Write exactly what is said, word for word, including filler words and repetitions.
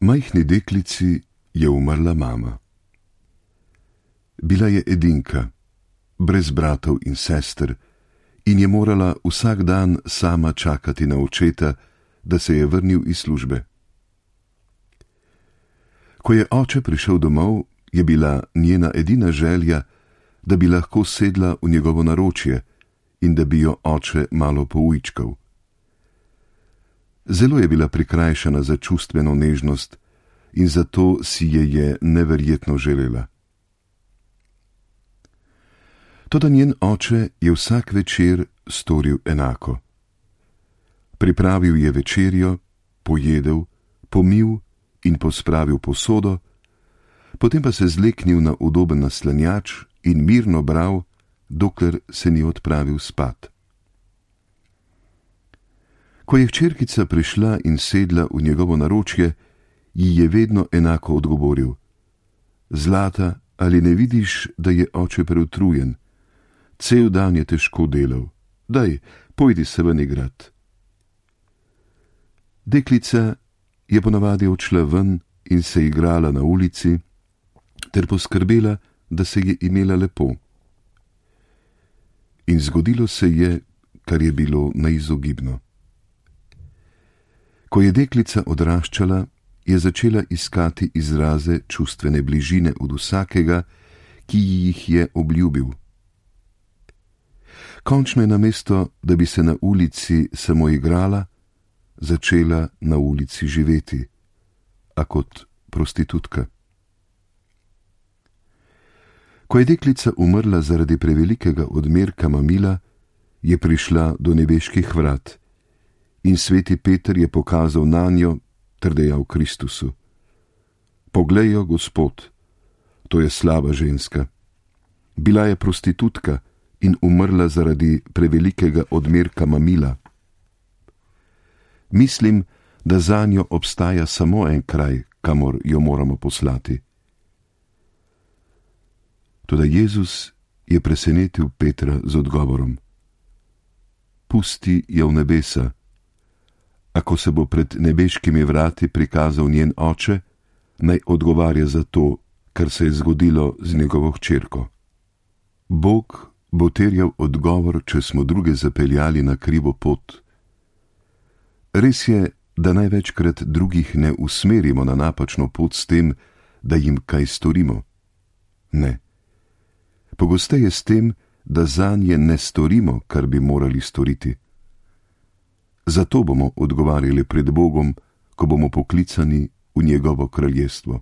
Majhni deklici je umrla mama. Bila je edinka, brez bratov in sester, in je morala vsak dan sama čakati na očeta, da se je vrnil iz službe. Ko je oče prišel domov, je bila njena edina želja, da bi lahko sedla v njegovo naročje in da bi jo oče malo poujčkal. Zelo je bila prikrajšana za čustveno nežnost in zato si je je neverjetno želela. Toda njen oče je vsak večer storil enako. Pripravil je večerjo, pojedel, pomil in pospravil posodo, potem pa se zleknil na udoben naslanjač in mirno bral, dokler se ni odpravil spat. Ko je hčerkica prišla in sedla v njegovo naročje, ji je vedno enako odgovoril: Zlata, ali ne vidiš, da je oče preutrujen? Cel dan je težko delal. Daj, pojdi se ven igrat. Deklica je ponavadi odšla ven in se igrala na ulici ter poskrbela, da se je imela lepo. In zgodilo se je, kar je bilo neizogibno. Ko je deklica odraščala, je začela iskati izraze čustvene bližine od vsakega, ki jih je obljubil. Končno je namesto, da bi se na ulici samo igrala, začela na ulici živeti, a kot prostitutka. Ko je deklica umrla zaradi prevelikega odmerka mamila, je prišla do nebeških vrat in sveti Peter je pokazal nanjo ter dejal Kristusu: Poglej jo, Gospod, to je slaba ženska. Bila je prostitutka in umrla zaradi prevelikega odmerka mamila. Mislim, da zanjo obstaja samo en kraj, kamor jo moramo poslati. Toda Jezus je presenetil Petra z odgovorom: Pusti jo v nebesa. Ako se bo pred nebeškimi vrati prikazal njen oče, naj odgovarja za to, kar se je zgodilo z njegovo hčerko. Bog bo terjal odgovor, če smo druge zapeljali na krivo pot. Res je, da največkrat drugih ne usmerimo na napačno pot s tem, da jim kaj storimo. Ne. Pogosteje s tem, da zanje ne storimo, kar bi morali storiti. Zato bomo odgovarjali pred Bogom, ko bomo poklicani v njegovo kraljestvo.